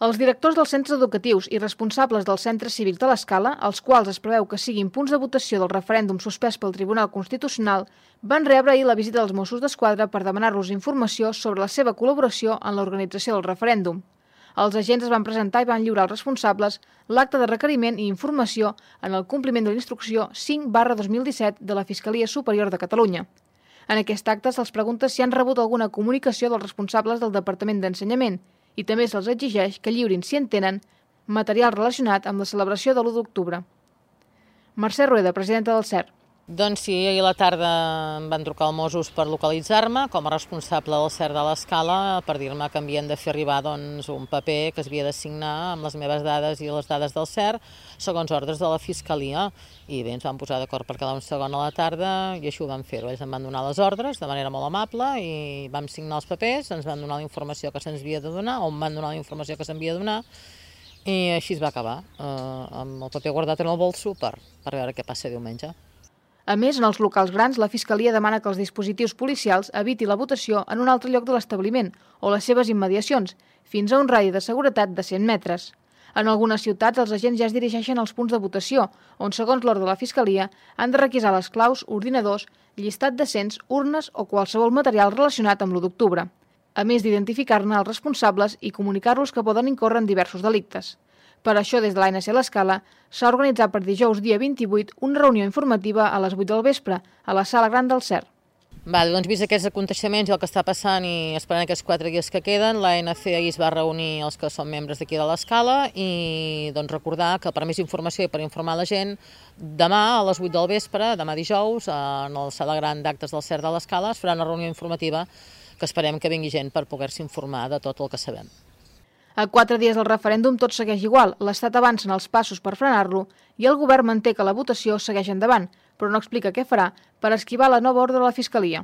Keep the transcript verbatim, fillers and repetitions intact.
Els directors dels centres educatius i responsables dels centres cívics de l'Escala, els quals es preveu que siguin punts de votació del referèndum suspès pel Tribunal Constitucional, van rebre ahir la visita dels Mossos d'Esquadra per demanar-los informació sobre la seva col·laboració en l'organització del referèndum. Els agents es van presentar i van lliurar als responsables l'acte de requeriment i informació en el compliment de l'instrucció cinc barra dos mil disset de la Fiscalia Superior de Catalunya. En aquest acte se'ls pregunta si han rebut alguna comunicació dels responsables del Departament d'Ensenyament i també se'ls exigeix que lliurin, si en tenen, material relacionat amb la celebració de l'u d'octubre. Mercè Rueda, presidenta del C E R. Doncs sí, ahir a la tarda em van trucar els Mossos per localitzar-me com a responsable del C E R de l'Escala per dir-me que havien de fer arribar doncs, un paper que es havia de signar amb les meves dades i les dades del C E R segons ordres de la Fiscalia. I bé, ens vam posar d'acord per quedar un segon a la tarda i així ho vam fer. Ells em van donar les ordres de manera molt amable i vam signar els papers, ens van donar la informació que se'ns havia de donar o em van donar la informació que s'havia de donar i així es va acabar, eh, amb el paper guardat en el bolso per, per veure què passa diumenge. A més, en els locals grans, la Fiscalia demana que els dispositius policials eviti la votació en un altre lloc de l'establiment o les seves immediacions, fins a un radi de seguretat de cent metres. En algunes ciutats, els agents ja es dirigeixen als punts de votació, on, segons l'ordre de la Fiscalia, han de requisar les claus, ordinadors, llistat d'assents, urnes o qualsevol material relacionat amb l'u d'octubre, a més d'identificar-ne els responsables i comunicar-los que poden incórrer en diversos delictes. Per això, des de l'A N C l'Escala, s'ha organitzat per dijous dia vint-i-vuit una reunió informativa a les vuit del vespre, a la sala gran del C E R. Vale, doncs vist aquests aconteixements i el que està passant i esperant aquests quatre dies que queden, l'A N C ahir es va reunir els que són membres d'aquí de l'Escala i doncs, recordar que per més informació i per informar la gent, demà a les vuit del vespre, demà dijous, en la sala gran d'actes del C E R de l'Escala es farà una reunió informativa que esperem que vingui gent per poder-se informar de tot el que sabem. A quatre dies del referèndum tot segueix igual, l'Estat avança en els passos per frenar-lo i el govern manté que la votació segueix endavant, però no explica què farà per esquivar la nova ordre de la Fiscalia.